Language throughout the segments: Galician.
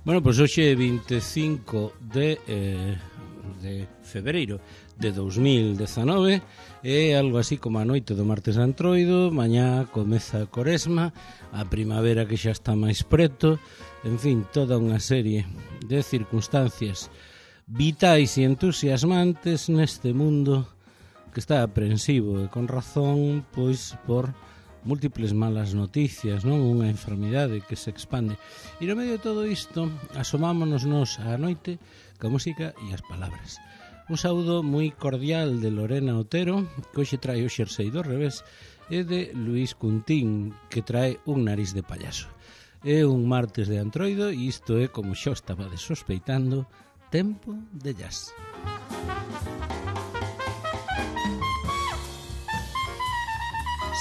Bueno, pois hoxe é 25 de febreiro de 2019, é algo así como a noite do martes antroido, mañá comeza a Coresma, a primavera que xa está máis preto, en fin, toda unha serie de circunstancias vitais e entusiasmantes neste mundo que está aprensivo e con razón, pois por múltiples malas noticias, non? Unha enfermidade que se expande. E no medio de todo isto, asomámonos nos á noite ca música e as palabras. Un saúdo moi cordial de Lorena Otero, que hoxe trae o xersei do revés, e de Luís Cuntín, que trae un nariz de payaso. É un martes de antroido e isto é, como xa estaba sospeitando, tempo de jazz.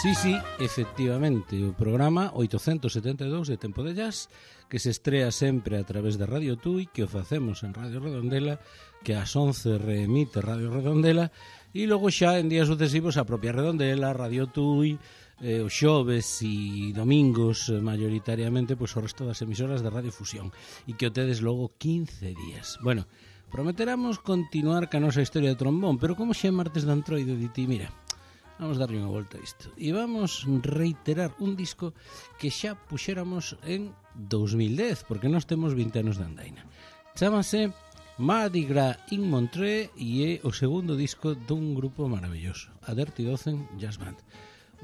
Sí, efectivamente, o programa 872 de Tempo de Jazz, que se estrea sempre a través de Radio Tui, que o facemos en Radio Redondela, que ás 11 reemite Radio Redondela, e logo xa en días sucesivos a propia Redondela, Radio Tui, os xoves e domingos mayoritariamente, pois o resto das emisoras de Radio Fusión, e que o tedes logo 15 días. Bueno, prometeramos continuar ca nosa historia de trombón, pero como xa é martes de antroido, diti, mira, vamos darlle unha volta a isto. E vamos reiterar un disco que xa puxéramos en 2010, porque nós temos 20 anos de andaina. Chámase Mardi Gras in Montreux e é o segundo disco dun grupo maravilloso, a Dirty Dozen Jazz Band.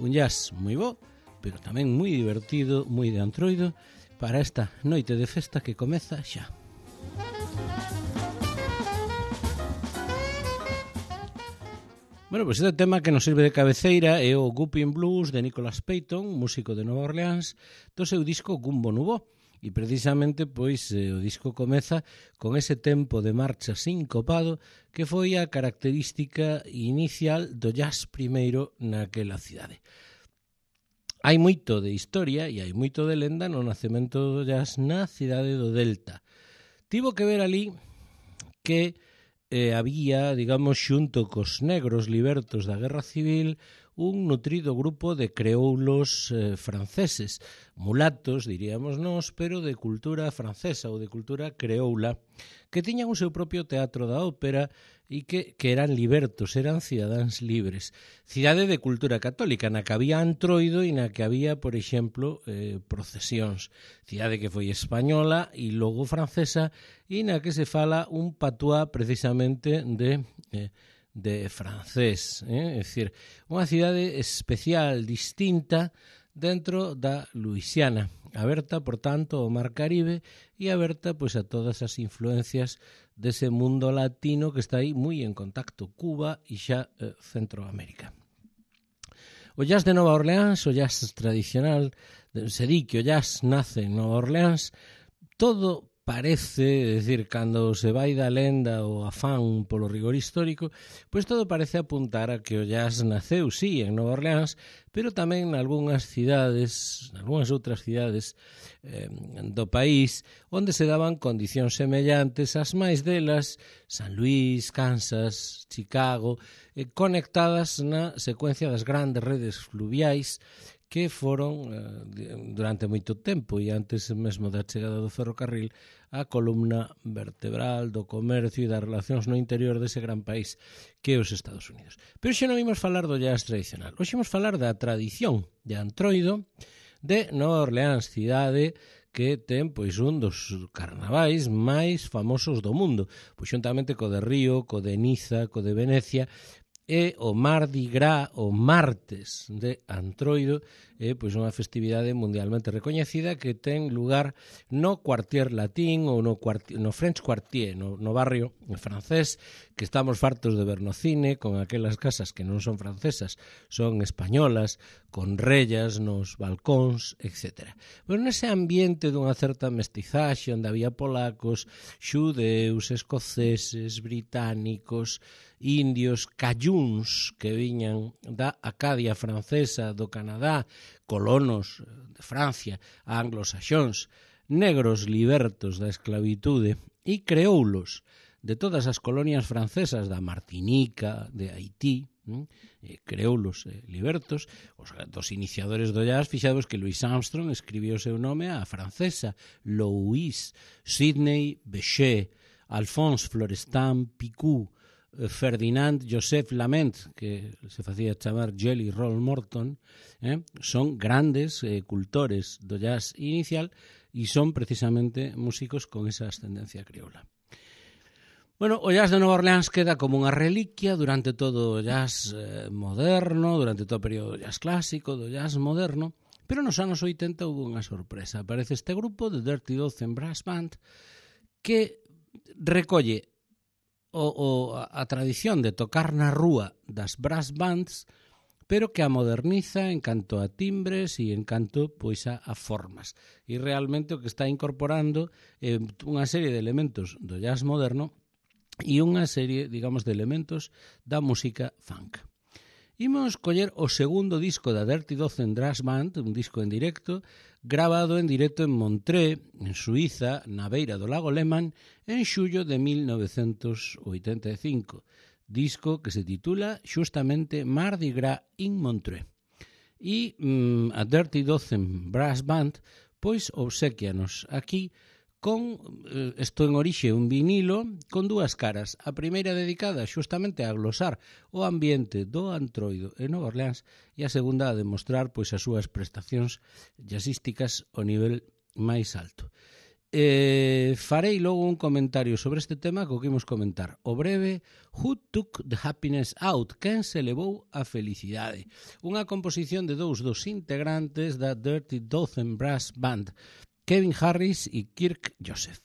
Un jazz moi bo, pero tamén moi divertido, moi de antroido, para esta noite de festa que comeza xa. Bueno, pois este tema que nos sirve de cabeceira é o Goopin' Blues de Nicholas Payton, músico de Nova Orleans, do seu disco Gumbo Nouveau. E precisamente, pois, o disco comeza con ese tempo de marcha sincopado que foi a característica inicial do jazz primeiro naquela cidade. Hai moito de historia e hai moito de lenda no nacemento do jazz na cidade do Delta. Tivo que ver ali que había, digamos, xunto cos negros libertos da Guerra Civil, un nutrido grupo de creoulos franceses, mulatos, diríamos nós, pero de cultura francesa ou de cultura creoula, que tiñan o seu propio teatro da ópera e que eran libertos, eran cidadáns libres. Cidade de cultura católica, na que había antroido e na que había, por exemplo, procesións. Cidade que foi española e logo francesa e na que se fala un patuá precisamente de francés, é dicir, unha cidade especial, distinta dentro da Luisiana, aberta, por tanto, ao Mar Caribe e aberta, pois, a todas as influencias dese mundo latino que está aí moi en contacto, Cuba e xa Centroamérica. O jazz de Nova Orleans, o jazz tradicional, se di que o jazz nace en Nova Orleans, todo parece, é dicir, cando se vai da lenda o afán polo rigor histórico, pois todo parece apuntar a que o jazz naceu, sí, en Nova Orleans, pero tamén nalgúnas cidades, nalgúnas outras cidades do país, onde se daban condicións semellantes, as máis delas, San Luis, Kansas, Chicago, conectadas na secuencia das grandes redes fluviais que foron durante moito tempo e antes mesmo da chegada do ferrocarril a columna vertebral do comercio e das relacións no interior dese gran país que é os Estados Unidos. Pero xa non imos falar do jazz tradicional, hoxe imos falar da tradición de antroido de Nova Orleans, cidade que ten pois un dos carnavais máis famosos do mundo, pois xuntamente co de Río, co de Niza, co de Venecia, e o Mardi Gras, o martes de antroido, é pois unha festividade mundialmente recoñecida que ten lugar no Quartier Latín ou no French Quartier, no barrio francés, que estamos fartos de ver no cine, con aquelas casas que non son francesas, son españolas, con rellas nos balcóns, etc. Pero nese ambiente dunha certa mestizaxe, onde había polacos, xudeus, escoceses, británicos, indios, cayúns que viñan da Acadia francesa, do Canadá, colonos de Francia, anglosaxóns, negros libertos da esclavitude e creoulos de todas as colonias francesas, da Martinica, de Haití, creoulos libertos. Os dos iniciadores do jazz, fixados que Louis Armstrong escribiu o seu nome á francesa, Louis, Sidney Bechet, Alphonse Florestan Picou, Ferdinand Joseph Lament, que se facía chamar Jelly Roll Morton, son grandes cultores do jazz inicial e son precisamente músicos con esa ascendencia crioula. Bueno, o jazz de Nova Orleans queda como unha reliquia durante todo o jazz moderno, durante todo o período do jazz clásico, do jazz moderno, pero nos anos 80 houve unha sorpresa. Aparece este grupo de Dirty Dozen Brass Band que recolle a tradición de tocar na rúa das brass bands, pero que a moderniza en canto a timbres e en canto pois a formas. E realmente o que está incorporando unha serie de elementos do jazz moderno e unha serie, digamos, de elementos da música funk. Imos coller o segundo disco da Dirty Dozen Brass Band, un disco en directo, grabado en directo en Montreux, en Suiza, na beira do lago Léman, en xullo de 1985. Disco que se titula xustamente Mardi Gras in Montreux. E a Dirty Dozen Brass Band, pois, obsequianos aquí con, isto en orixe, un vinilo con dúas caras. A primeira dedicada xustamente a glosar o ambiente do Antroido en Nova Orleans e a segunda a demostrar pois as súas prestacións jazzísticas ao nivel máis alto. Farei logo un comentario sobre este tema que o que imos comentar. O breve Who Took the Happiness Out? Quen se levou a felicidade? Unha composición de dous dos integrantes da Dirty Dozen Brass Band, Kevin Harris e Kirk Joseph.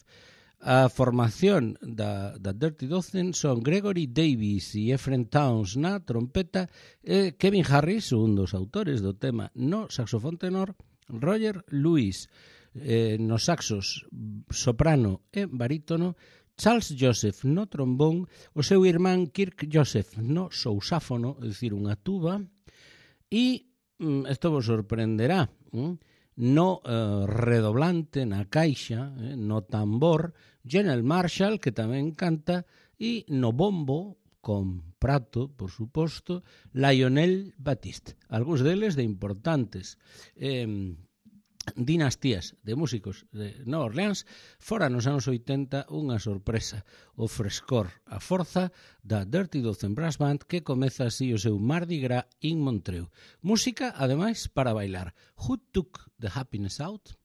A formación da Dirty Dozen son Gregory Davis e Ephraim Towns na trompeta, Kevin Harris, un dos autores do tema no saxofón tenor, Roger Lewis nos saxos soprano e barítono, Charles Joseph no trombón, o seu irmán Kirk Joseph no sousáfono, é dicir, unha tuba, e isto vos sorprenderá, no redoblante, na caixa, no tambor, General Marshall, que tamén canta, e no bombo, con prato, por suposto, Lionel Batiste. Algúns deles de importantes dinastías de músicos de Nova Orleans, fora nos anos 80 unha sorpresa, o frescor, a forza da Dirty Dozen Brass Band que comeza así o seu Mardi Gras in Montreux. Música, ademais, para bailar. Who Took the Happiness Out?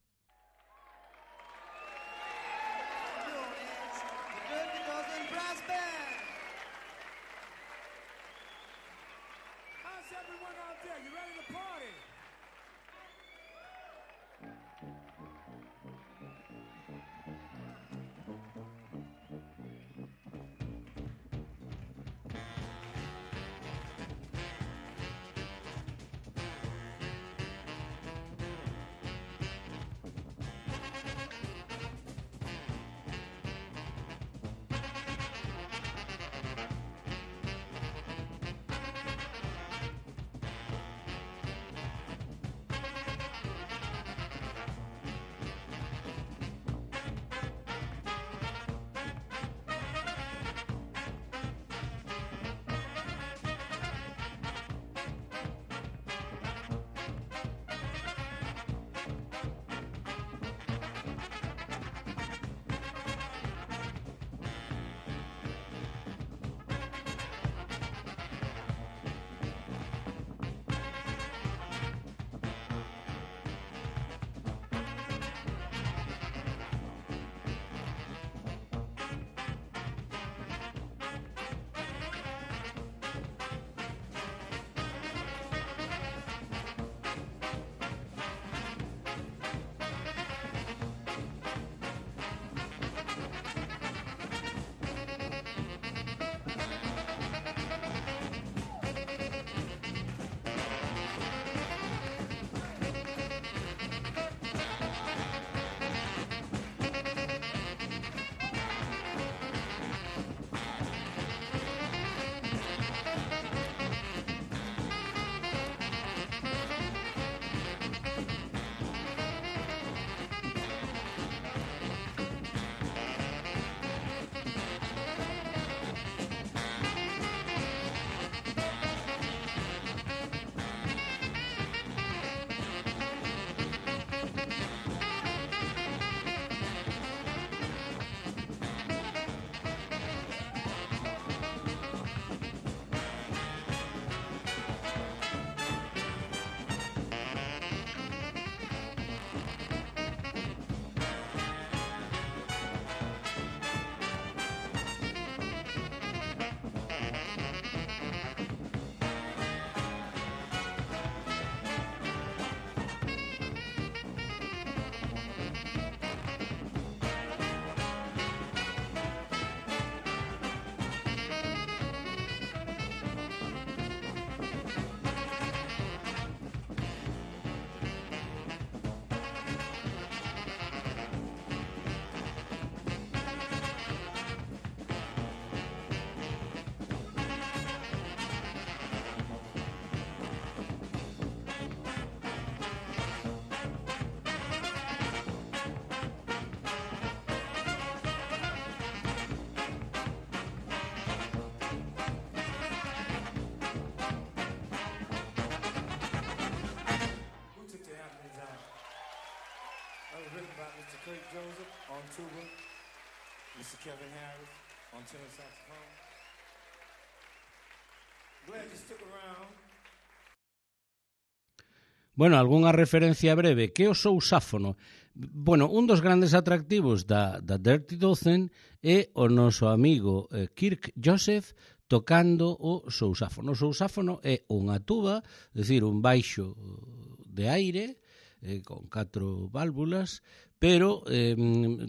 That was written by Mr. Kurt Joseph on tuba, Mr. Kevin Harris on tenor saxophone. Glad you stuck around. Bueno, algunha referencia breve. Que o sousáfono? Bueno, un dos grandes atractivos da Dirty Dozen é o noso amigo Kirk Joseph tocando o sousáfono. O sousáfono é unha tuba, é dicir, un baixo de aire, con 4 válvulas, pero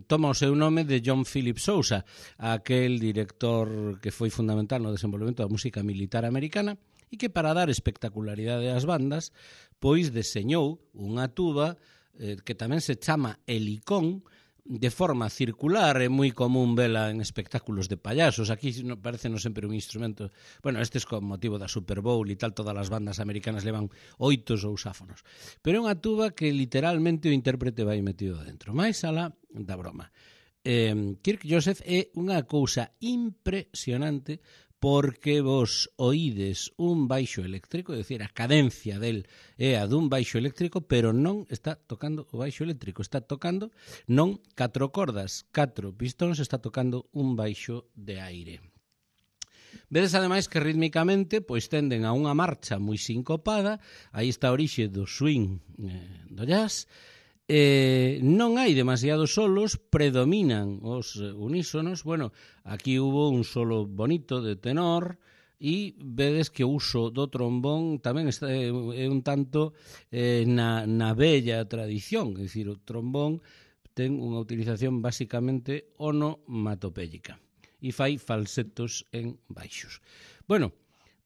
toma o seu nome de John Philip Sousa, aquel director que foi fundamental no desenvolvemento da música militar americana e que para dar espectacularidade ás bandas, pois deseñou unha tuba que tamén se chama helicón, de forma circular, é moi común vela en espectáculos de payasos. Aquí parece non sempre un instrumento. Bueno, este é con motivo da Super Bowl e tal, todas as bandas americanas levan 8 sousáfonos. Pero é unha tuba que literalmente o intérprete vai metido dentro. Mais alá da broma. Kirk Joseph é unha cousa impresionante porque vos oídes un baixo eléctrico, é dicir, a cadencia del é a dun baixo eléctrico, pero non está tocando o baixo eléctrico, está tocando non 4 cordas, 4 pistóns, está tocando un baixo de aire. Vedes ademais que rítmicamente pois tenden a unha marcha moi sincopada, aí está a orixe do swing do jazz. Non hai demasiados solos, predominan os unísonos. Bueno, aquí hubo un solo bonito de tenor e vedes que o uso do trombón tamén está, é un tanto na bella tradición, é dicir, o trombón ten unha utilización basicamente onomatopéyica e fai falsetos en baixos. Bueno,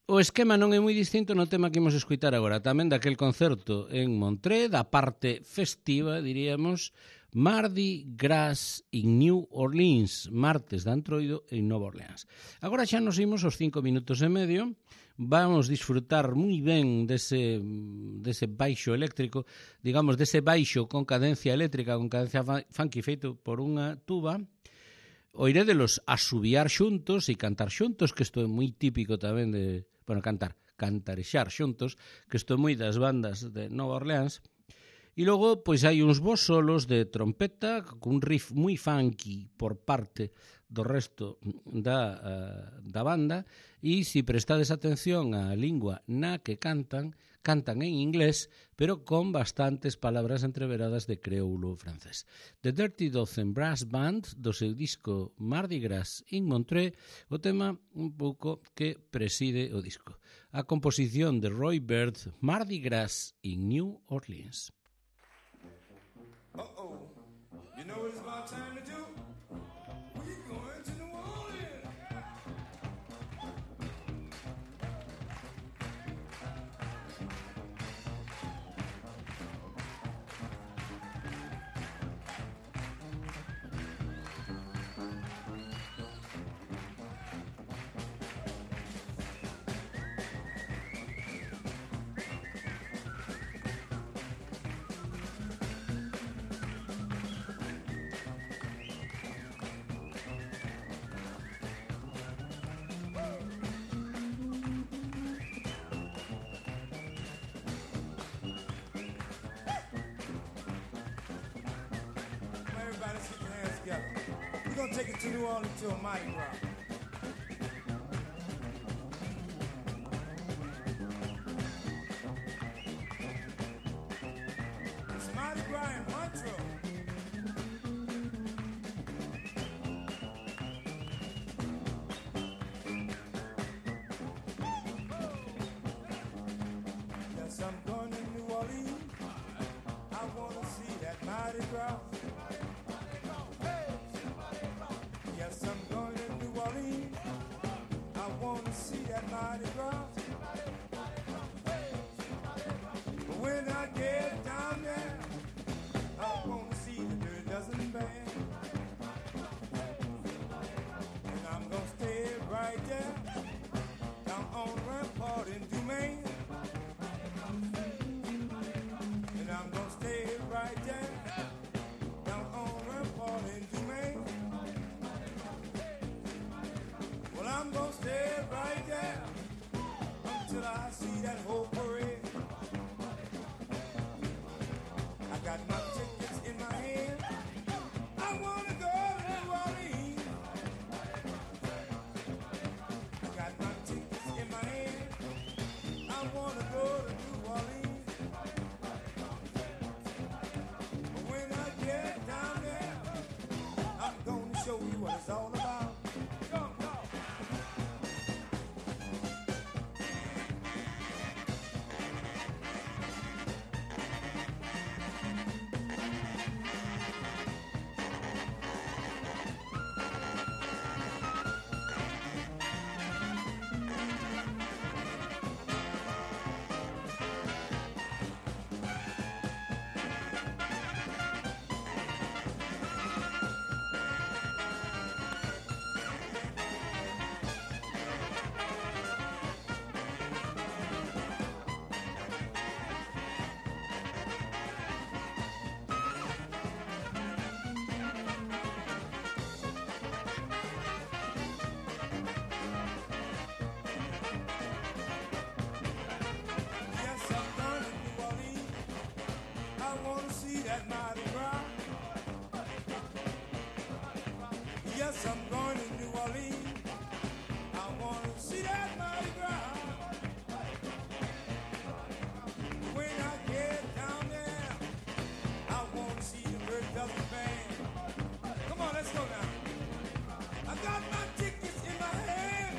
o esquema non é moi distinto no tema que imos escoitar agora, tamén daquel concerto en Montreux, da parte festiva, diríamos, Mardi Gras in New Orleans, martes de Antroido en Nova Orleans. Agora xa nos imos aos 5 minutos e medio, vamos disfrutar moi ben dese baixo eléctrico, digamos, dese baixo con cadencia eléctrica, con cadencia funky feito por unha tuba. Oirédelos asubiar xuntos e cantar xuntos, que isto é moi típico tamén de... Bueno, cantarexar xuntos, que isto é moi das bandas de Nova Orleans. E logo, pois hai uns bons solos de trompeta, cun riff moi funky por parte do resto da banda, e se prestades atención á lingua na que cantan en inglés, pero con bastantes palabras entreveradas de creoulo francés. The Dirty Dozen Brass Band, do seu disco Mardi Gras in Montreux, o tema un pouco que preside o disco. A composición de Roy Bird, Mardi Gras in New Orleans. Uh-oh, you know what it's about time to do? We're going to New Orleans. We're going to take it to New Orleans to a Mardi Gras. It's Mardi Gras in Montreux. Yes, I'm going to New Orleans. I want to see that Mardi Gras. Yes, I'm going to New Orleans. I want to see that Mardi Gras. But when I get down there, I want to see the Dirty Dozen Band. And I'm going to stay right there, down on Rampart in Dumaine. And I'm going to stay right there, down on Rampart in Dumaine. Well, I'm gonna stay right there until I see that whole parade. what it's all about. Go, go. Yes, I'm going to New Orleans. I want to see that Mardi Gras. When I get down there, I want to see the Bird Dozen Band. Come on, let's go now. I got my tickets in my hand.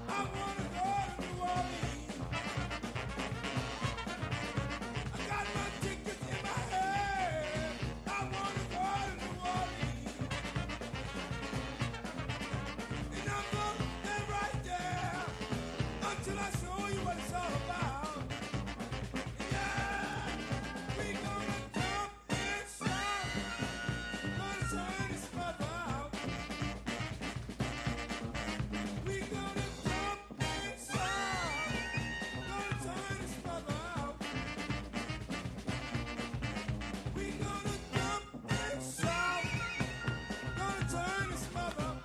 I want to go to New Orleans. I got my tickets in my hand. I want to go to New Orleans. And I'm going to stay right there until I show you what it's all about. Yeah, we gonna jump and shout, gonna turn this mother out. We gonna jump and shout, gonna turn this mother out. We gonna jump and shout, gonna turn this mother out.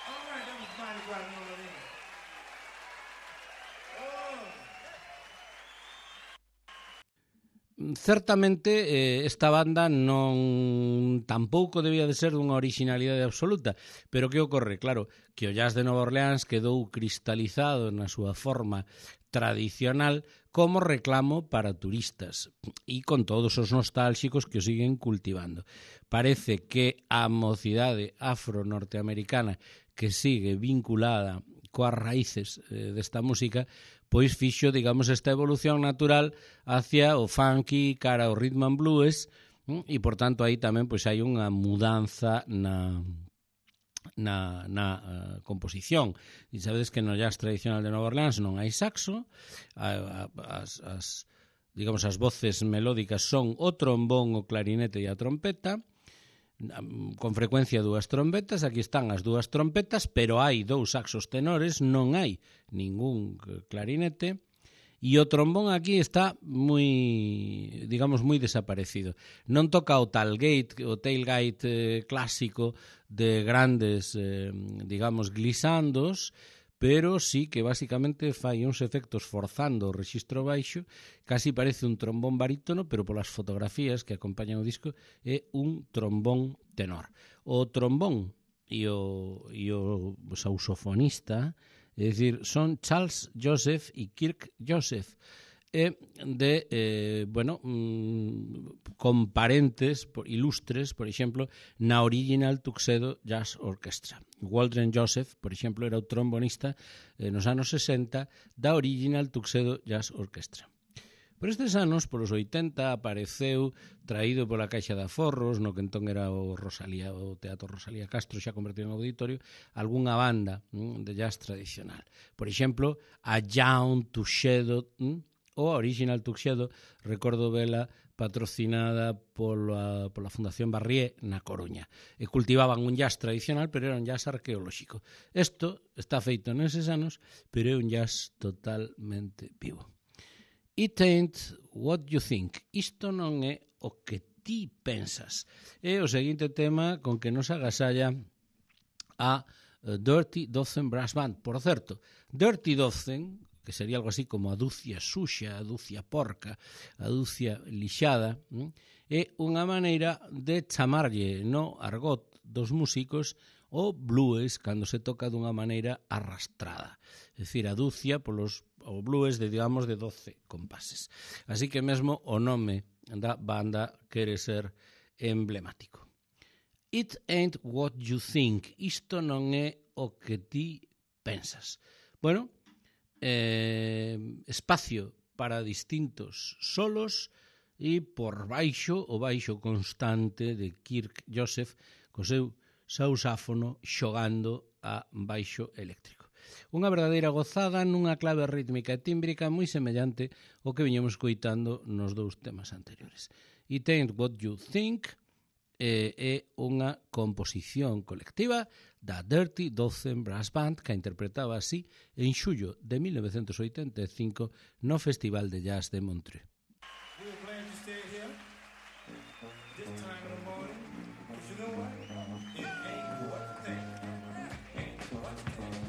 All right, that was Mardi Gras New Orleans. Certamente esta banda non tampouco debía de ser dunha originalidade absoluta, pero que ocorre? Claro, que o jazz de Nova Orleans quedou cristalizado na súa forma tradicional como reclamo para turistas e con todos os nostálxicos que o siguen cultivando. Parece que a mocidade afro-norteamericana que sigue vinculada coas raíces desta música pois fixo, digamos, esta evolución natural hacia o funky, cara ao rhythm and blues, e, por tanto, aí tamén pois hai unha mudanza na composición. E sabedes que no jazz tradicional de Nova Orleans non hai saxo, digamos, as voces melódicas son o trombón, o clarinete e a trompeta, con frecuencia dúas trompetas, aquí están as dúas trompetas, pero hai dous saxos tenores, non hai ningún clarinete, e o trombón aquí está moi, digamos, moi desaparecido. Non toca o tailgate clásico de grandes, digamos, glissandos, pero sí que basicamente fai uns efectos forzando o rexistro baixo, casi parece un trombón barítono, pero polas fotografías que acompañan o disco é un trombón tenor. O trombón e o saxofonista, é dicir, son Charles Joseph e Kirk Joseph, con parentes ilustres, por exemplo, na Original Tuxedo Jazz Orchestra. Waldron Joseph, por exemplo, era o trombonista nos anos 60 da Original Tuxedo Jazz Orchestra. Por estes anos, polos 80, apareceu, traído pola Caixa de Aforros, no que entón era o Teatro Rosalía Castro, xa convertido en auditorio, algunha banda de jazz tradicional. Por exemplo, a Young Tuxedo, ou a Original Tuxedo, recordo vela patrocinada pola Fundación Barrié na Coruña. E cultivaban un jazz tradicional, pero era un jazz arqueolóxico. Isto está feito neses anos, pero é un jazz totalmente vivo. It ain't what you think. Isto non é o que ti pensas. É o seguinte tema con que nos agasalla a Dirty Dozen Brass Band. Por certo, Dirty Dozen, que sería algo así como a dúcia suxa, a dúcia porca, a dúcia lixada, é unha maneira de chamarlle no argot dos músicos o blues cando se toca dunha maneira arrastrada. É dicir, a dúcia o blues de, digamos, de 12 compases. Así que mesmo o nome da banda quere ser emblemático. It ain't what you think. Isto non é o que ti pensas. Bueno, espacio para distintos solos e por baixo, o baixo constante de Kirk Joseph co seu sausáfono xogando a baixo eléctrico. Unha verdadeira gozada nunha clave rítmica e tímbrica moi semellante ao que viñemos coitando nos dous temas anteriores. It ain't what you think é unha composición colectiva da Dirty Dozen Brass Band que a interpretaba así en xullo de 1985 no Festival de Jazz de Montreux. We were glad to stay here this time in the morning. But you know what? It ain't what you think. Ain't what you think.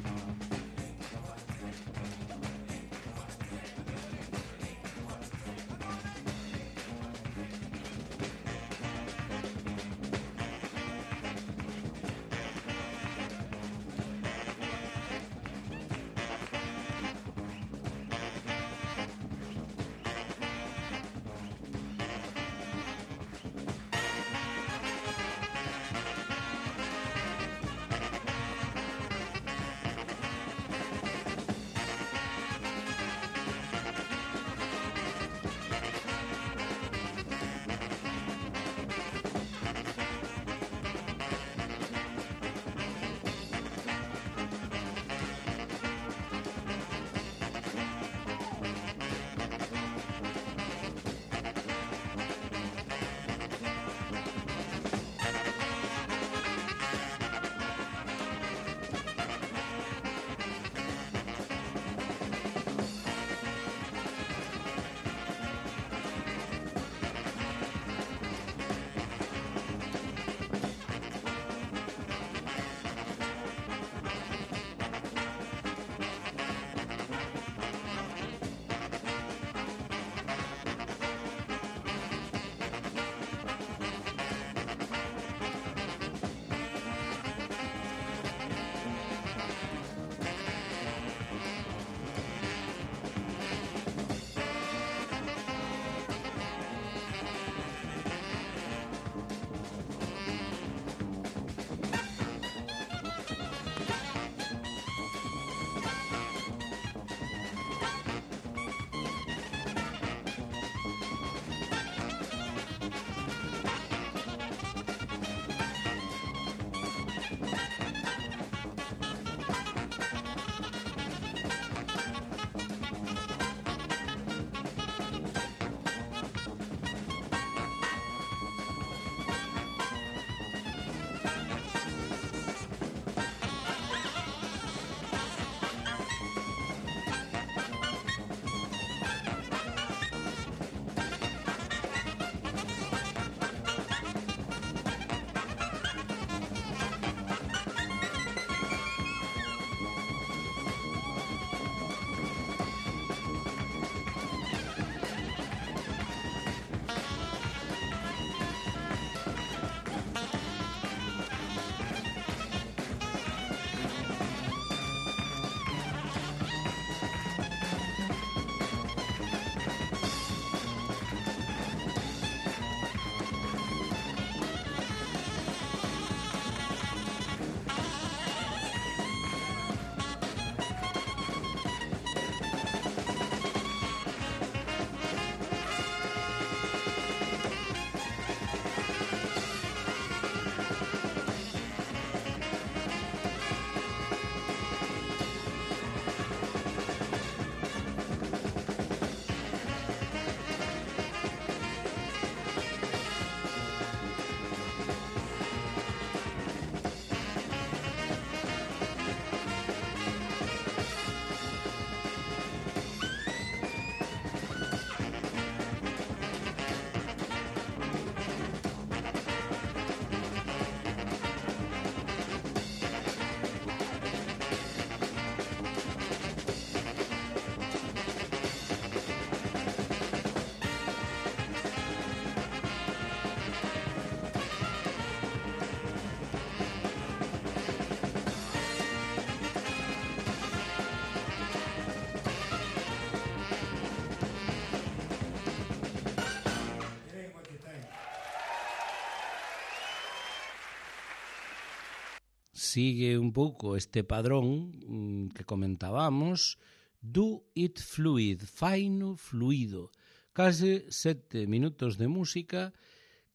sigue un pouco este padrón que comentábamos, do it fluid, faino fluido, case 7 minutos de música,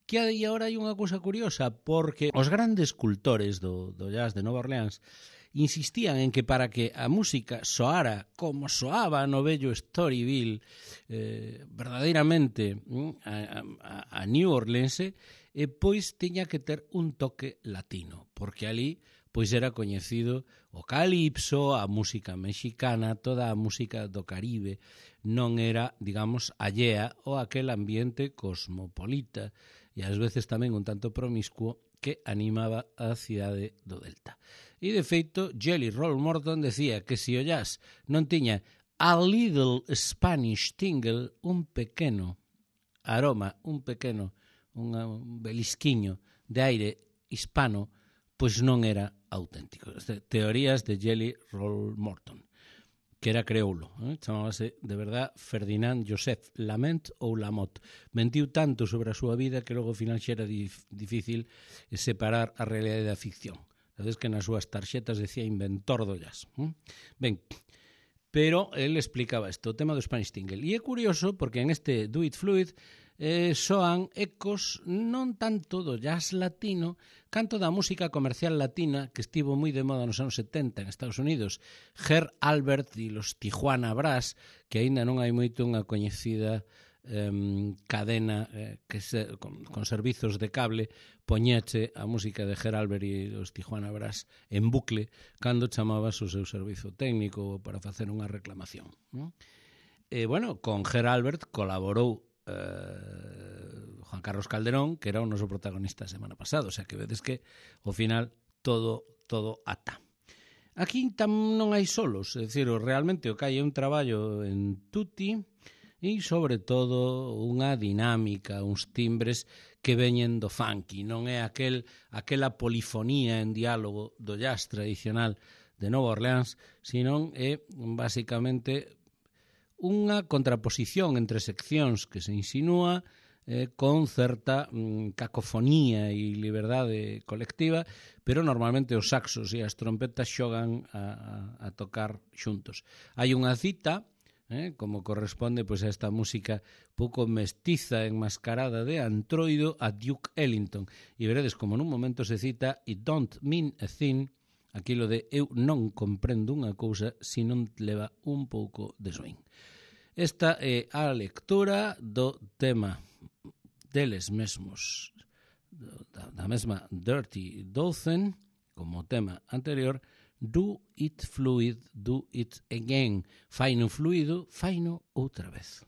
que aí agora hai unha cousa curiosa, porque os grandes cultores do jazz de Nova Orleans insistían en que para que a música soara como soaba no vello Storyville, verdadeiramente a New Orleans, pois tiña que ter un toque latino, porque ali pois era coñecido o calipso, a música mexicana, toda a música do Caribe non era, digamos, allea ao aquel ambiente cosmopolita e ás veces tamén un tanto promiscuo que animaba a cidade do Delta. E, de feito, Jelly Roll Morton decía que se o jazz non tiña a little Spanish tingle, un pequeno aroma, un belisquiño de aire hispano, pois non era auténtico. Teorías de Jelly Roll Morton, que era creoulo, chamábase de verdad Ferdinand Joseph Lament ou Lamotte. Mentiu tanto sobre a súa vida que logo ao final xa era difícil separar a realidade da ficción. Sabes que nas súas tarxetas decía inventor do jazz. Ben, pero él explicaba isto, o tema do Spanish Tingle. E é curioso porque en este Do It Fluid soan ecos non tanto do jazz latino, canto da música comercial latina que estivo moi de moda nos anos 70 en Estados Unidos. Herb Alpert e los Tijuana Brass, que aínda non hai moito unha coñecida cadena con servizos de cable, poñeche a música de Herb Alpert e os Tijuana Brass en bucle cando chamabas o seu servizo técnico para facer unha reclamación. Bueno, con Herb Alpert colaborou Juan Carlos Calderón, que era o noso protagonista a semana pasada, o sea que vedes que ao final todo ata. Aquí non hai solos, é dicir, realmente o que hai é un traballo en tutti e sobre todo unha dinámica, uns timbres que veñen do funky, non é aquela polifonía en diálogo do jazz tradicional de Nova Orleans, sino é basicamente unha contraposición entre seccións que se insinúa con certa cacofonía e liberdade colectiva, pero normalmente os saxos e as trompetas xogan a tocar xuntos. Hai unha cita, como corresponde pois, a esta música pouco mestiza enmascarada de antroido a Duke Ellington. E veredes como nun momento se cita "It don't mean a thing", aquilo de eu non comprendo unha cousa se non leva un pouco de swing. Esta é a lectura do tema deles mesmos, da mesma Dirty Dozen, como tema anterior, Do It Fluid, Do It Again. Faino fluido, faino outra vez.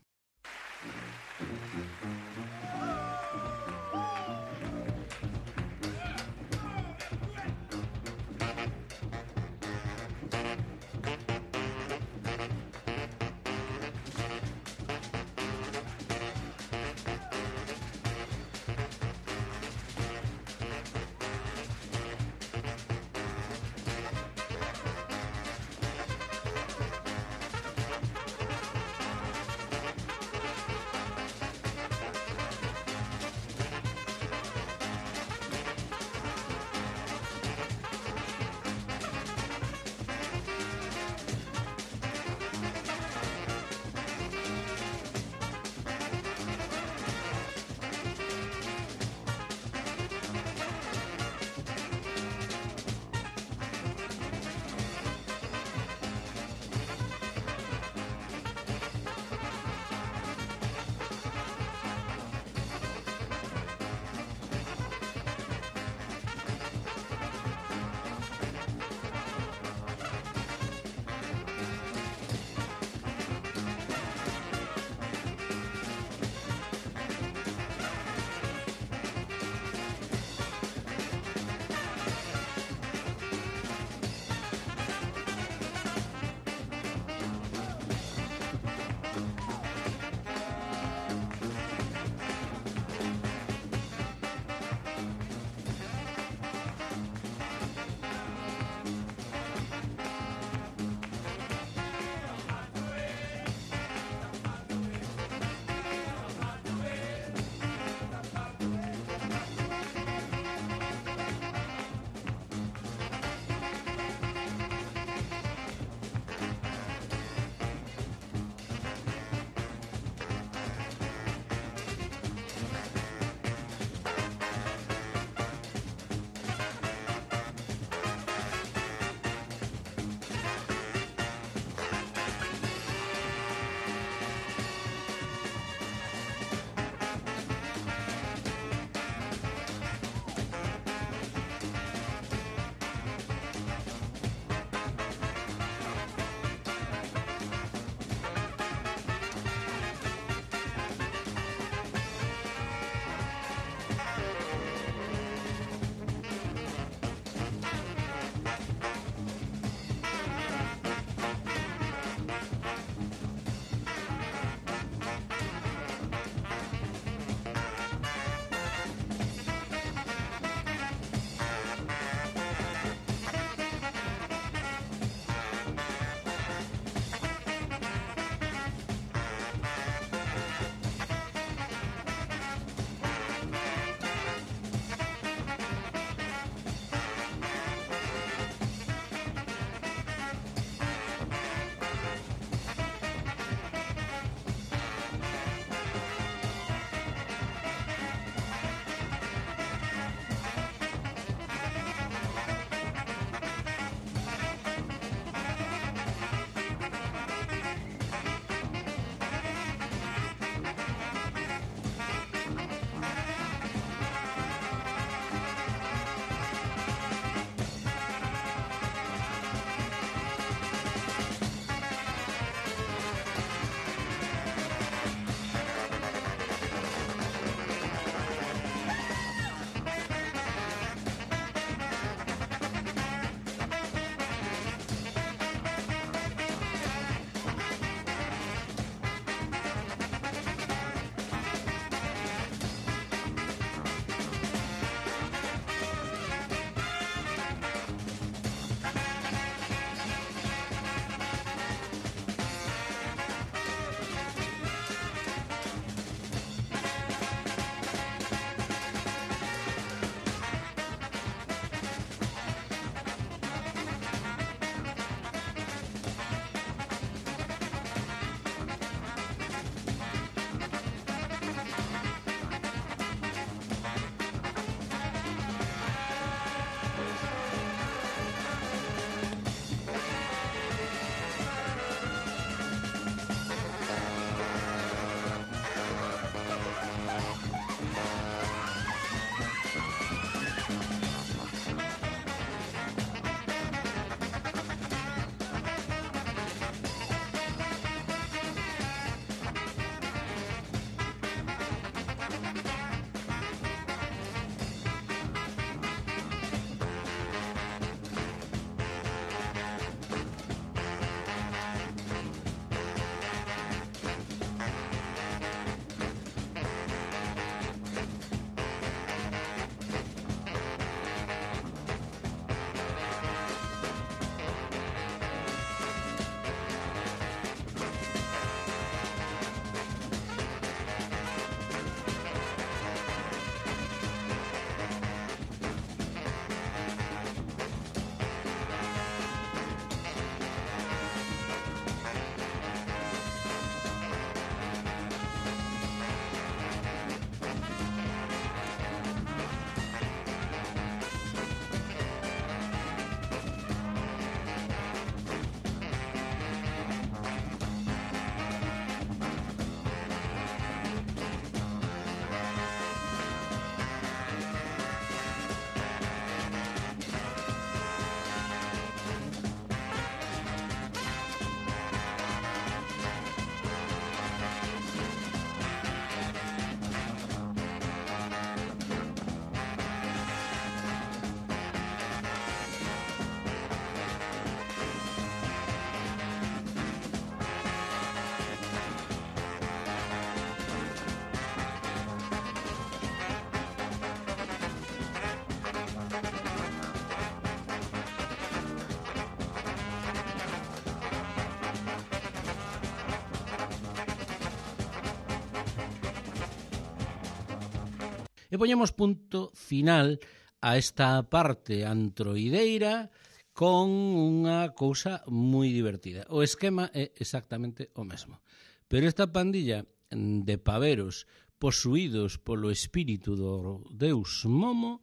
E poñemos punto final a esta parte antroideira con unha cousa moi divertida. O esquema é exactamente o mesmo. Pero esta pandilla de paveros posuídos polo espírito do deus Momo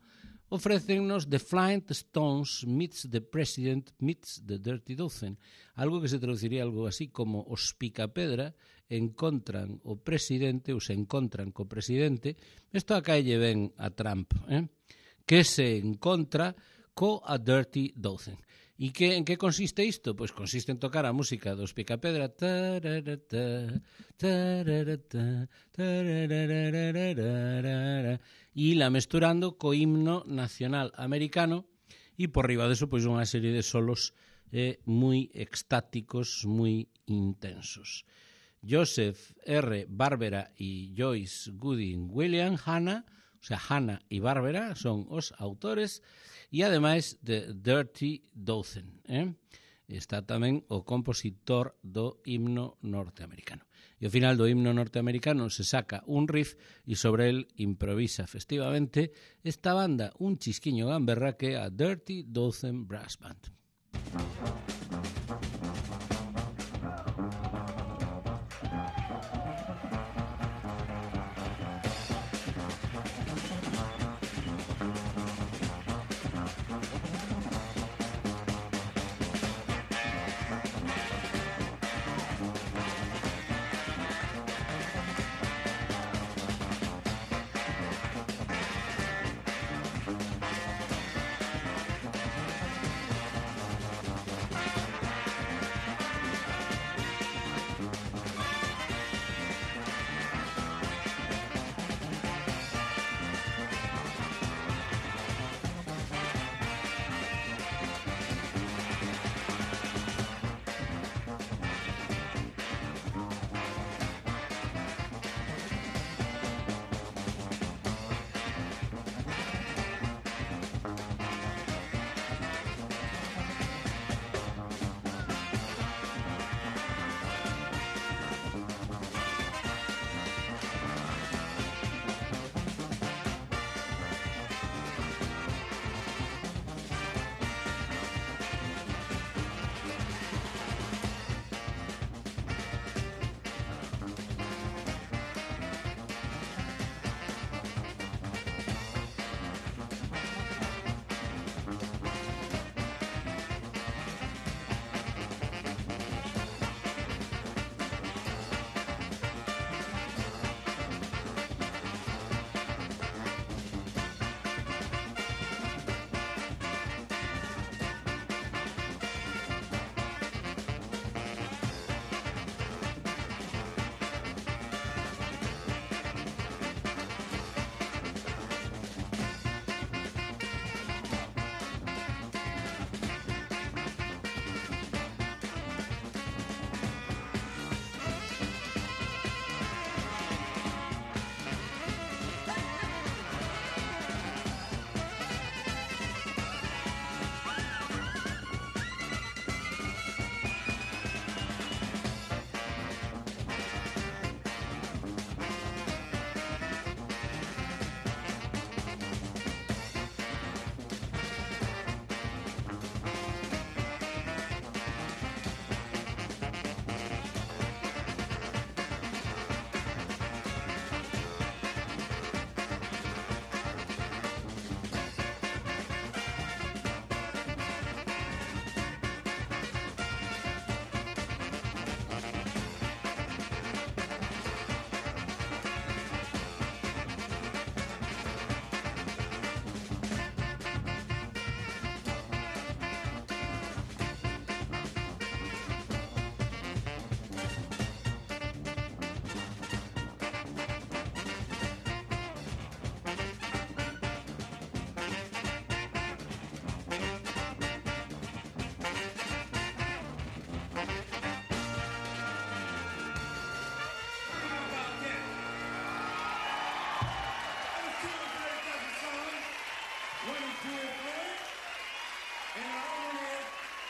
ofrécennos The Flying Stones meets the President meets the Dirty Dozen, algo que se traduciría algo así como os Picapedra encontran o presidente ou se encontran co presidente. Isto acaelle ben a Trump, que se encontra co a Dirty Dozen. E en que consiste isto? Pois consiste en tocar a música dos Picapedra e la mesturando co himno nacional americano e por riba deso pois unha serie de solos moi extáticos, moi intensos. Joseph R. Barbera e Joyce Gooding William Hanna, o sea, Hanna e Barbera son os autores, e ademais de Dirty Dozen. Está tamén o compositor do himno norteamericano. E ao final do himno norteamericano se saca un riff e sobre el improvisa festivamente esta banda, un chisquiño gamberra que é a Dirty Dozen Brass Band.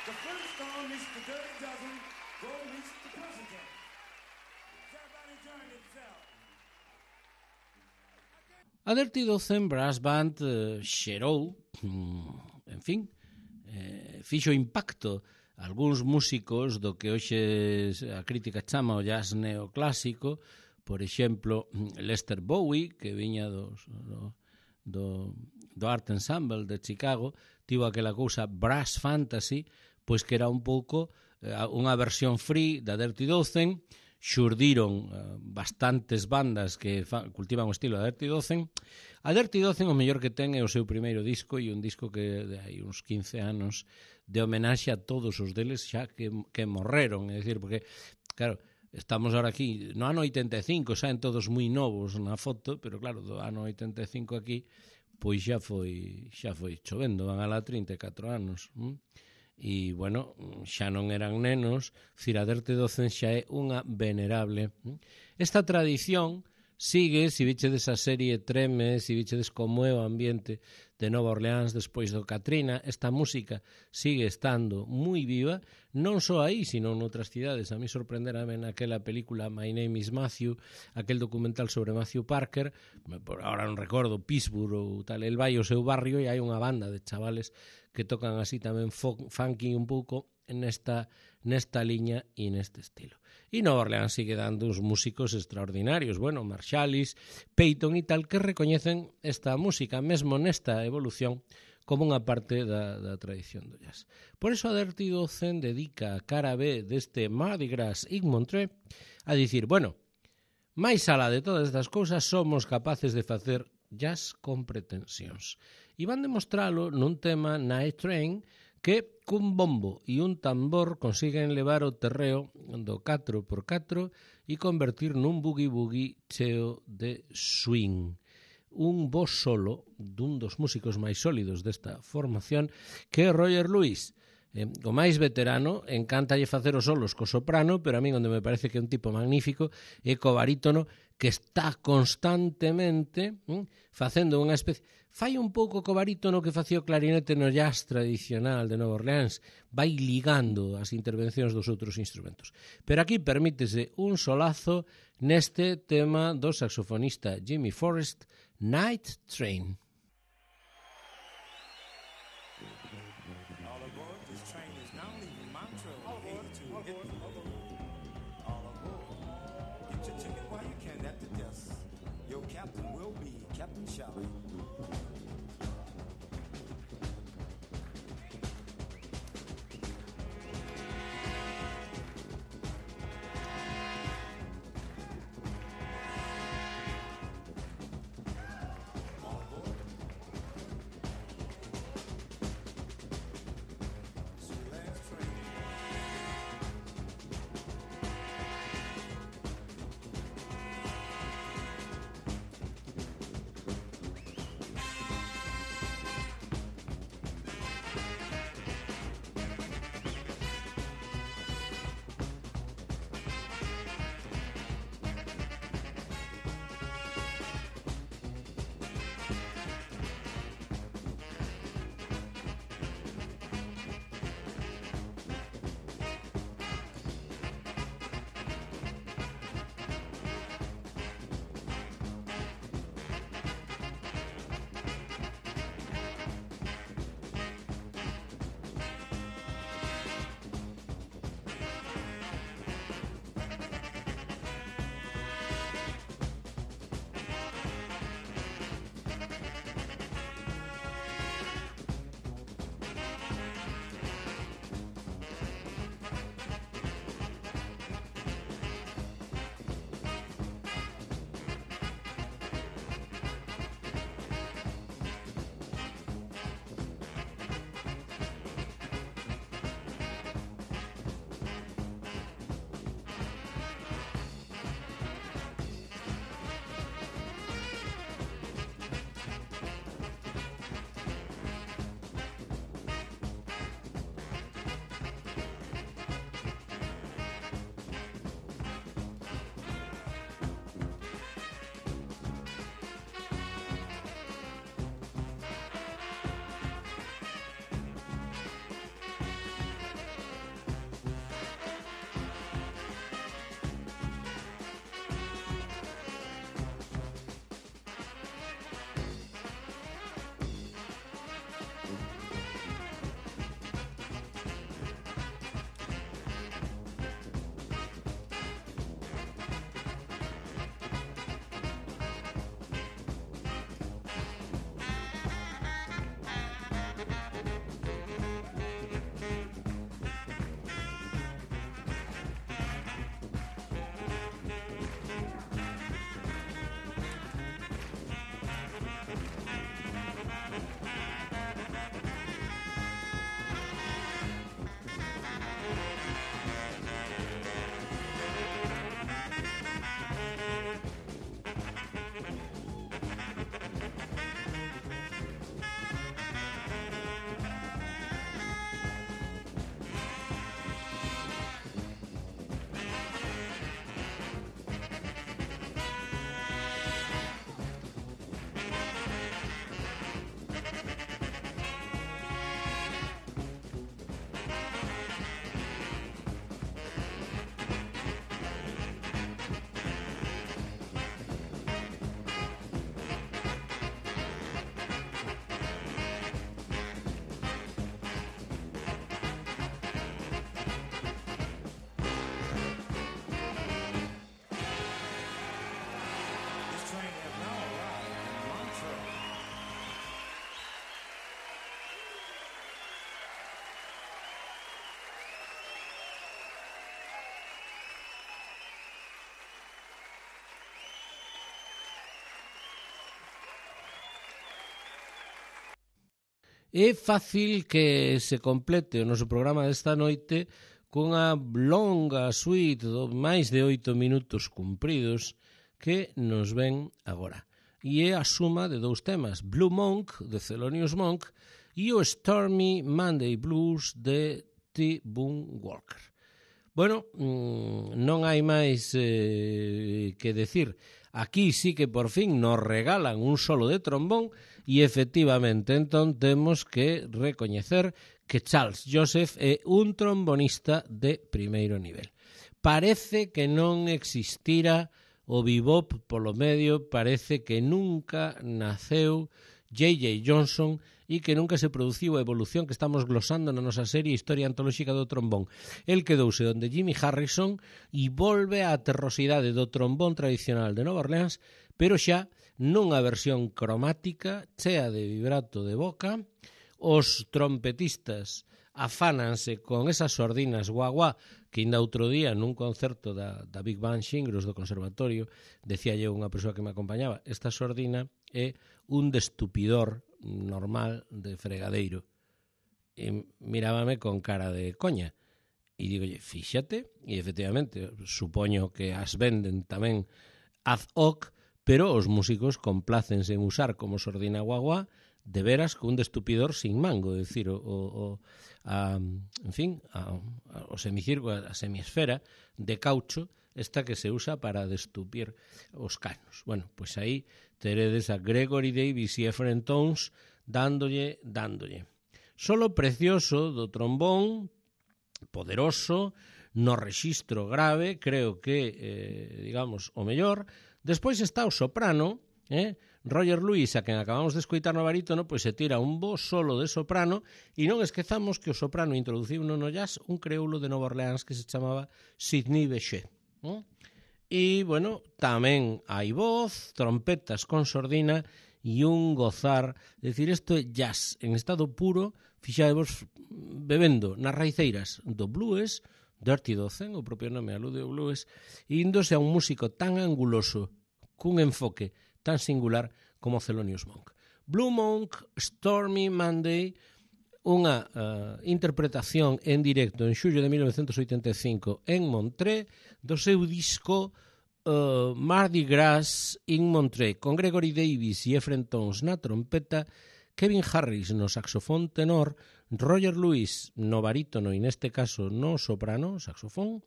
The Flintstone meets the Dirty Dozen, go meets the Pussycat. Everybody enjoying themselves. A Dirty Dozen Brass Band xerou, en fin, fixo impacto algúns músicos do que hoxe a crítica chama o jazz neoclásico, por exemplo, Lester Bowie, que viña do Art Ensemble de Chicago, tivo aquela cousa Brass Fantasy, pois que era un pouco unha versión free da Dirty Dozen. Xurdiron bastantes bandas que cultivan o estilo da Dirty Dozen. A Dirty Dozen o mellor que ten é o seu primeiro disco, e un disco que de hai uns 15 anos de homenaxe a todos os deles xa que morreron, é dicir, porque, claro, estamos ahora aquí no ano 85, saen todos moi novos na foto, pero claro, do ano 85 aquí pois xa foi chovendo, van a la 34 anos. E, bueno, xa non eran nenos, a Dirty Dozen xa é unha venerable. Esta tradición sigue, se bichedes a serie Treme, se bichedes como é o ambiente de Nova Orleans despois do Katrina, esta música sigue estando moi viva, non só aí, sino noutras cidades. A mí sorprenderame naquela película My Name is Matthew, aquel documental sobre Matthew Parker, ahora non recordo, Pittsburgh ou tal, el vai ao seu barrio e hai unha banda de chavales que tocan así tamén funky un pouco nesta liña e neste estilo. E Nova Orleans sigue dando uns músicos extraordinarios, bueno, Marsalis, Peyton e tal, que recoñecen esta música, mesmo nesta evolución, como unha parte da tradición do jazz. Por eso a Dirty Dozen dedica a cara B deste Mardi Gras in Montreux a dicir, bueno, máis alá de todas estas cousas, somos capaces de facer jazz con pretensións. E van demostralo nun tema Night Train que cun bombo e un tambor consiguen levar o terreo do 4x4 e convertir nun boogie-boogie cheo de swing. Un bo solo dun dos músicos máis sólidos desta formación, que é Roger Lewis. O máis veterano, encántalle facer os solos co soprano, pero a min onde me parece que é un tipo magnífico é co barítono, que está constantemente facendo unha especie... Fai un pouco co barítono que facía o clarinete no jazz tradicional de Nova Orleans, vai ligando as intervencións dos outros instrumentos. Pero aquí permítese un solazo neste tema do saxofonista Jimmy Forrest, Night Train. All aboard, this train is now leaving Montreux, headed to Italy. All aboard. Get your ticket while you can at the desk. Your captain will be Captain Shelley. É fácil que se complete o noso programa desta noite cunha longa suite de máis de 8 minutos cumpridos que nos ven agora. E é a suma de dous temas, Blue Monk, de Thelonious Monk, e o Stormy Monday Blues, de T. Boone Walker. Bueno, non hai máis que decir. Aquí sí que por fin nos regalan un solo de trombón e efectivamente entón temos que recoñecer que Charles Joseph é un trombonista de primeiro nivel. Parece que non existira o bebop polo medio, parece que nunca naceu J.J. Johnson e que nunca se produciu a evolución que estamos glosando na nosa serie Historia Antolóxica do Trombón. El quedouse onde Jimmy Harrison e volve á terrosidade do trombón tradicional de Nova Orleans, pero xa nunha versión cromática, chea de vibrato de boca. Os trompetistas afánanse con esas sordinas guaguá que ainda outro día nun concerto da Big Band Xingros do Conservatorio decía eu unha persoa que me acompañaba, esta sordina é un destupidor normal de fregadeiro. E mirábame con cara de coña e digolle, fíxate, e efectivamente supoño que as venden tamén ad hoc, pero os músicos complácense en usar como sordina guaguá de veras con un destupidor sin mango, é dicir, o semicírculo, a semiesfera de caucho, esta que se usa para destupir os canos. Bueno, pois aí teredes a Gregory Davis e Ephraim Towns dándolle. Solo precioso do trombón, poderoso, no rexistro grave, creo que, digamos, o mellor. Despois está o soprano, Roger Lewis, a quen acabamos de escoitar no barítono, pois se tira un bo solo de soprano, e non esquezamos que o soprano introduciu no jazz un creoulo de Nova Orleans que se chamaba Sidney Bechet. E, bueno, tamén hai voz, trompetas con sordina e un gozar. É dicir, isto é jazz en estado puro, fixadevos bebendo nas raiceiras do blues, Dirty Dozen, o propio nome alude ao blues, e índose a un músico tan anguloso, cun enfoque tan singular como Thelonious Monk. Blue Monk, Stormy Monday, unha interpretación en directo en xullo de 1985 en Montreux do seu disco Mardi Gras in Montreux, con Gregory Davis e Ephraim Towns na trompeta, Kevin Harris no saxofón tenor, Roger Lewis no barítono e neste caso no soprano, saxofón,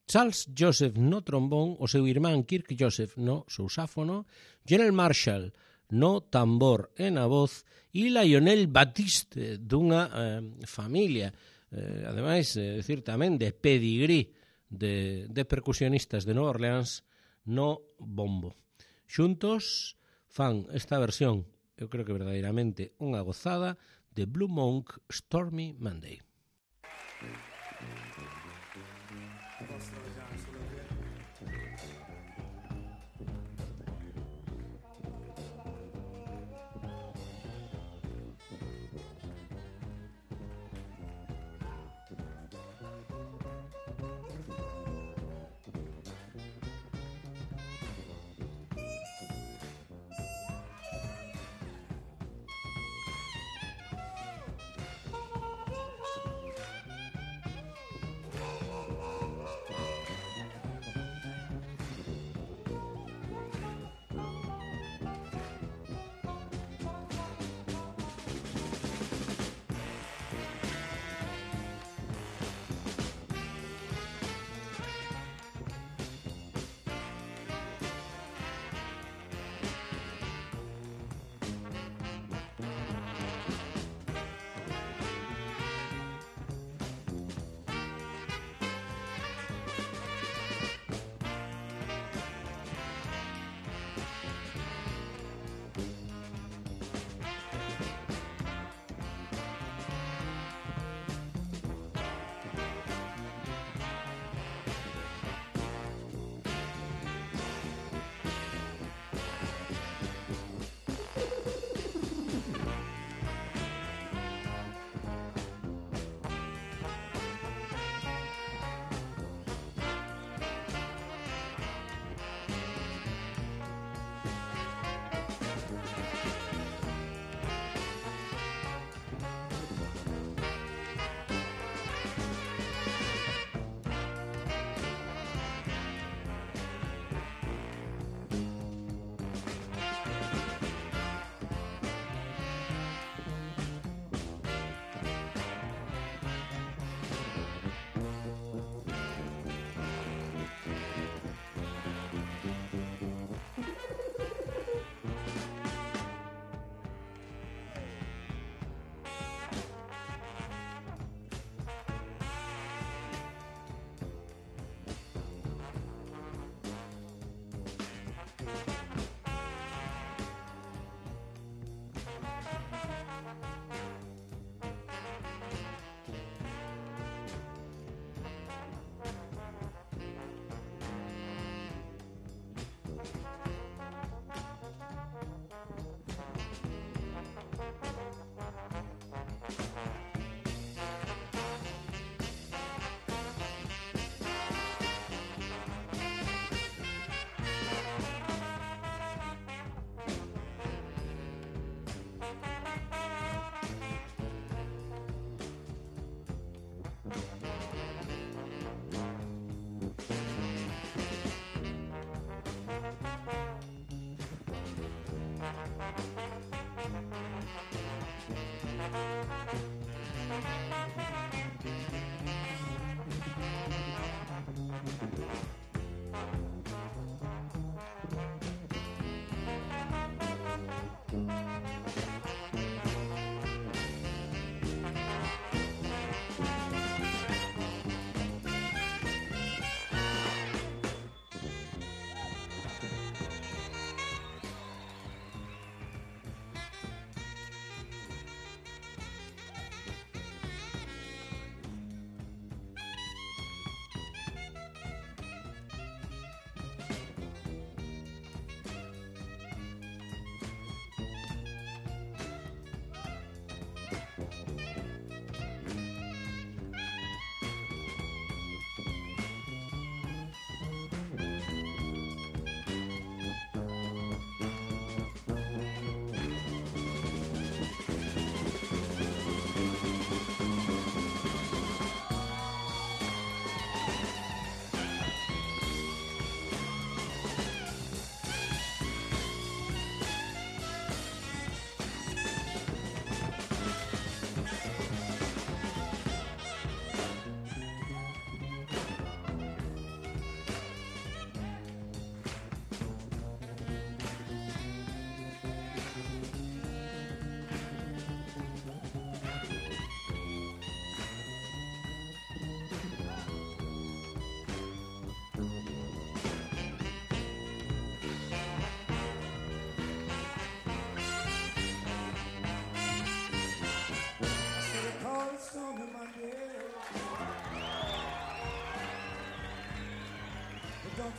Charles Joseph no trombón, o seu irmán Kirk Joseph no sousáfono, General Marshall no tambor e na voz e Lionel Batiste dunha familia, ademais, decir tamén de pedigrí de percusionistas de Nova Orleans no bombo. Xuntos fan esta versión, eu creo que verdadeiramente unha gozada, de Blue Monk, Stormy Monday.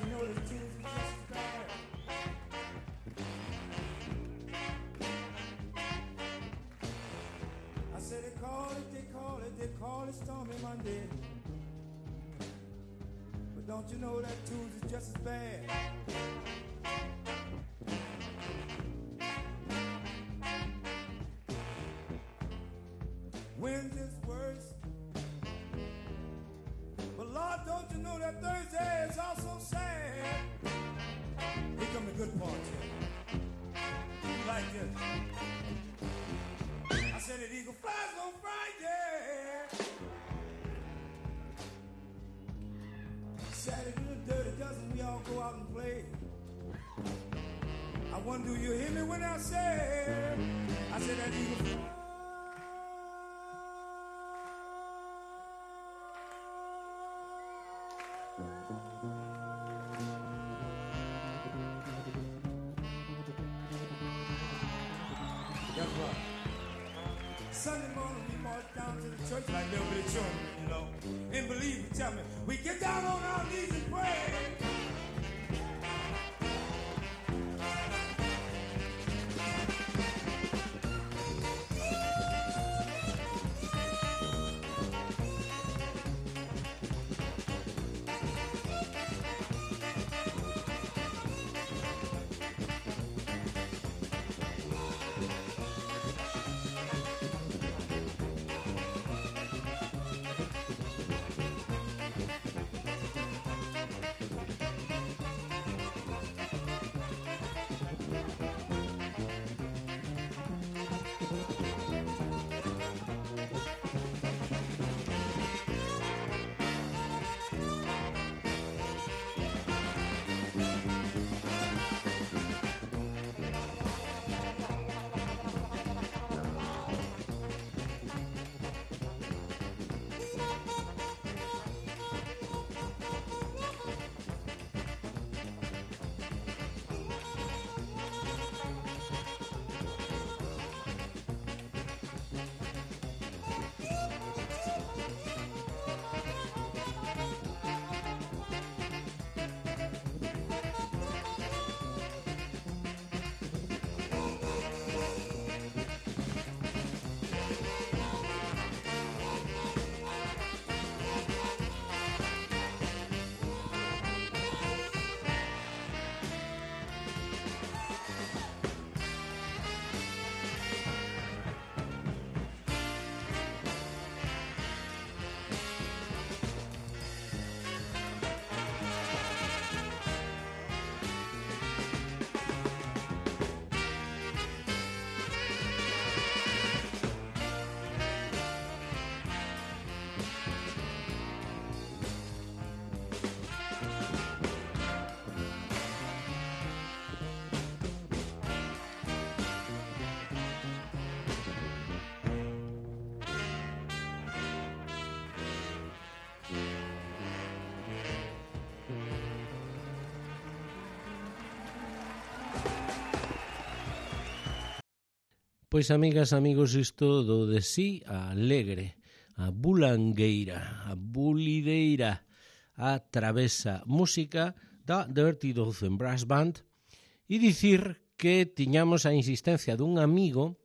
you know the tunes are just as bad? I said they call it Stormy Monday. But don't you know that tunes is just as bad? Wednesday's worse. But Lord, don't you know that Thursday is also sad? Here come the good part. You like this? I said that eagle flies on Friday. Saturday the dirty dozen, we all go out and play. I wonder, do you hear me when I said that eagle flies? Sunday morning we march down to the church like little bit of children, you know. And believe me, tell me, we get down on our knees and pray. Pois, amigas, amigos, isto do de sí a alegre, a bulangueira, a bulideira, a travesa música da Dirty Dozen Brass Band, e dicir que tiñamos a insistencia dun amigo,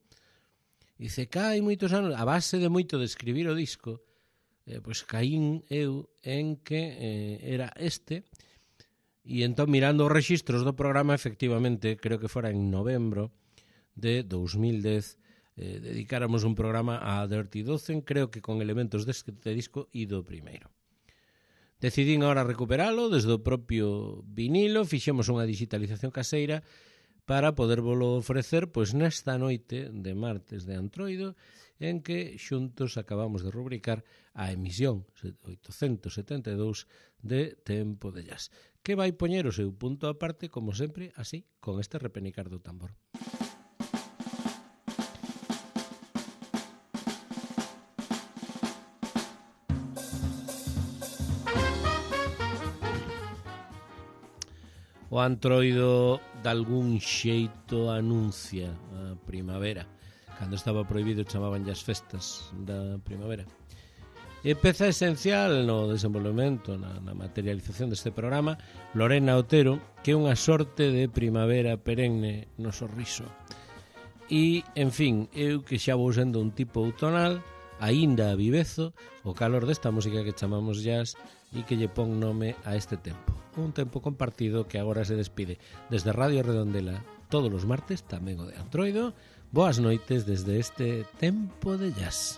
dice que hai moitos anos, a base de moito de escribir o disco, pois caín eu en que era este, e entón mirando os rexistros do programa, efectivamente, creo que fora en novembro de 2010, dedicáramos un programa a Dirty Dozen, creo que con elementos deste disco e do primeiro. Decidín agora recuperalo desde o propio vinilo, fixemos unha digitalización caseira para podervolo ofrecer pois nesta noite de martes de Antroido, en que xuntos acabamos de rubricar a emisión 872 de Tempo de Jazz, que vai poñer o seu punto aparte, como sempre, así, con este repenicar do tambor. O Antroido de algún xeito anuncia a primavera. Cando estaba prohibido chamaban as festas da primavera. E peza esencial no desenvolvemento, na materialización deste programa, Lorena Otero, que é unha sorte de primavera perenne no sorriso. E, en fin, eu que xa vou sendo un tipo outonal, aínda vivezo o calor desta música que chamamos jazz e que lle pon nome a este tempo. Un tempo compartido que agora se despide desde Radio Redondela todos os martes, tamén o de Antroido. Boas noites desde este tempo de jazz.